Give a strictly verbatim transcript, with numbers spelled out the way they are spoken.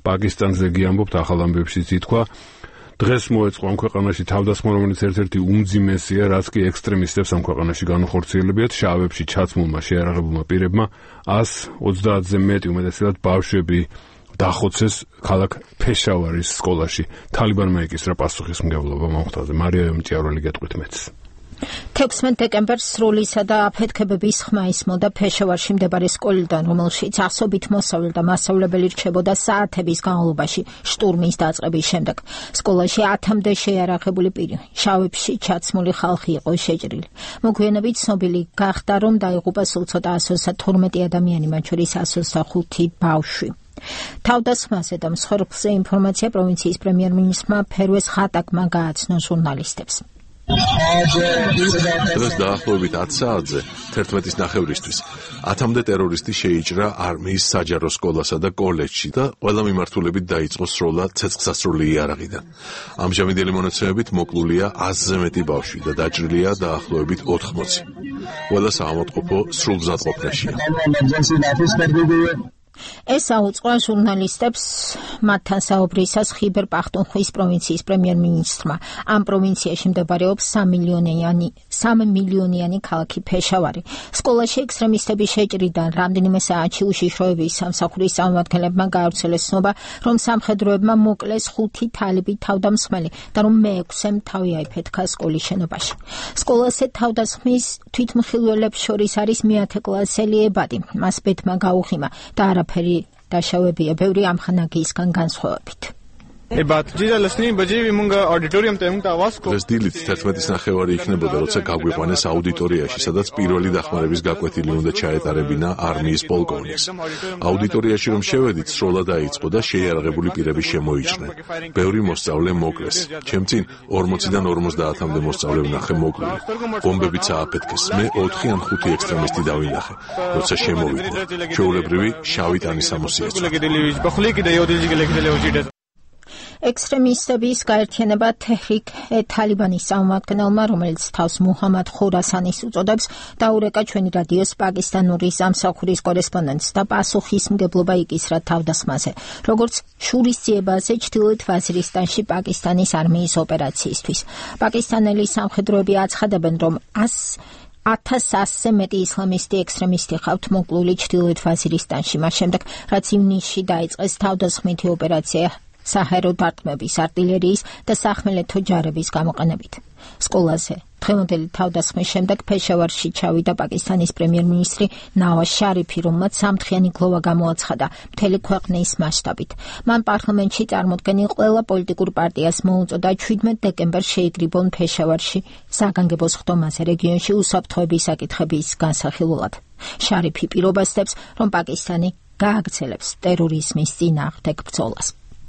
პაკისტანზე გიამბობთ, ახალ ამბებშიც ითქვა. დღეს მოეწყო ამ ქვეყანაში თავდასხმა, რომელიც ერთ-ერთი უმძიმესია, რაც კი ექსტრემისტებს ამ ქვეყანაში განუხორციელებიათ. შავებში ჩაცმულმა შეიარაღებულმა პირებმა ას ოცდაათზე მეტი უმეტესად ბავშვები დახოცეს ქალაქ ფეშავარის სკოლაში. თალიბანმა ეკისრა პასუხისმგებლობა მომხდაზე. მარია ემჭიარველი გეტყვით მეც. თექვსმეტ დეკემბერს სრულისა და აფეთქებების ხმა ისმოდა ფეშავარში მდებარე სკოლიდან, რომელშიც ასობით მოსავლე და მასწავლებელი რჩებოდა საათების განმავლობაში შტურმის დაწყების შემდეგ. სკოლაში ათამდე შეიარაღებული პირი, შავებში ჩაცმული ხალხი იყო შეჭრილი. მოგვიანებით ცნობილი გახდა, რომ დაიღუპა სულ ცოტა ას ოცდათორმეტი ადამიანი, მათ შორის ას ოცდახუთი ბავშვი. თავდასხმაზე და მსხვერპლზე ინფორმაცია პროვინციის პრემიერ-მინისტრმა ფერვეს ხატაკმა გააცნო ჟურნალისტებს. დღეს დაახლოებით ათ საათზე თერთმეტის ნახევრისთვის ათამდე ტერორისტი შეიჭრა არმიის საჯარო სკოლასა და კოლეჯში და ყველა მიმართულებით დაიწყო სროლა ცეცხლსასროლი იარაღიდან. ამჟამინდელი მონაცემებით მოკლულია ასზე მეტი ბავშვი და დაჭრილია დაახლოებით ოთხმოცი. ყველა საავადმყოფო სრულგზადყოფნაშია. ეს აუწყო ჟურნალისტებს მათთან საუბრისას ხიბერ პახტუნხვის პროვინციის პრემიერ-მინისტრმა. ამ პროვინციაში მდებარეობს სამი მილიონიანი ქალაქი ფეშავარი. სკოლაში ექსტრემისტების შეჭრიდან რამდენიმე საათში უშიშროების სამსახურის წარმომადგენლებმა გაავრცელეს ცნობა, რომ სამხედროებმა მოკლეს ხუთი თალიბი თავდამსხმელი და რომ მეექვსემ თავი აიფეთქა სკოლის შენობაში. სკოლაზე თავდასხმის თვითმხილველებს შორის არის მეათე კლასელი ებადი. მას ბედმა გაუხიმა და არა ფერი დაშავებია ბევრი ამხანაგიისგან განსხვავებით. დღეს დილით თერთმეტის ნახევარი იქნებოდა, როცა გაგვიყვანეს აუდიტორიაში, სადაც პირველი დახმარების გაკვეთილი უნდა ჩაეტარებინა არმიის პოლკოვნიკს. აუდიტორიაში რომ შევედით, სროლა დაიწყო და შეიარაღებული პირები შემოიჭრნენ. ბევრი მოსწავლე მოკლეს. ჩემ წინ ორმოციდან ორმოცდაათამდე მოსწავლე ვნახე მოკლული. ბომბებიც ააფეთქეს. მე ოთხი ან ხუთი ექსტრემისტი დავინახე. როცა შემოვიდნენ, ჩვეულებრივი შავი ტანისამოსი ეწვა. ექსტრემისტების გაერთიანება თეჰრიკ-ე-თალიბანის წარმომადგენელმა, რომელიც თავს მუჰამად ხურასანის უწოდებს, დაურეკა ჩვენი რადიოს პაკისტანური სამსახურის კორესპონდენტს და პასუხისმგებლობა იკისრა თავდასხმაზე, როგორც შურისძიებაზე ჩრდილოეთ ვაზირისტანში პაკისტანის არმიის ოპერაციისთვის. პაკისტანელი სამხედროები აცხადებენ, რომ ათას ასზე მეტი ისლამისტი ექსტრემისტი ყავთ მოკლული ჩრდილოეთ ვაზირისტანში, მას შემდეგ, რაც ივნისში დაიწყეს თავდასხმითი ოპერაცია საჰაერო დარტყმების, არტილერიის და სახმელეთო ჯარების გამოყენებით. სკოლაზე დღევანდელი თავდასხმის შემდეგ ფეშავარში ჩავიდა პაკისტანის პრემიერ-მინისტრი ნავაზ შარიფი, რომელმაც სამთხიანი გლოვა გამოაცხადა მთელი ქვეყნის მასშტაბით. მან პარლამენტში წარმოდგენილ ყველა პოლიტიკურ პარტიას მოუწოდა შვიდმეტ დეკემბერს შეიკრიბონ ფეშავარში საგანგებო სხდომაზე რეგიონში უსაფრთხოების საკითხების განსახილველად. შარიფი პირობასდებს, რომ პაკისტანი გააგრძელებს ტერორიზმის წინააღმდეგ ბრძოლას.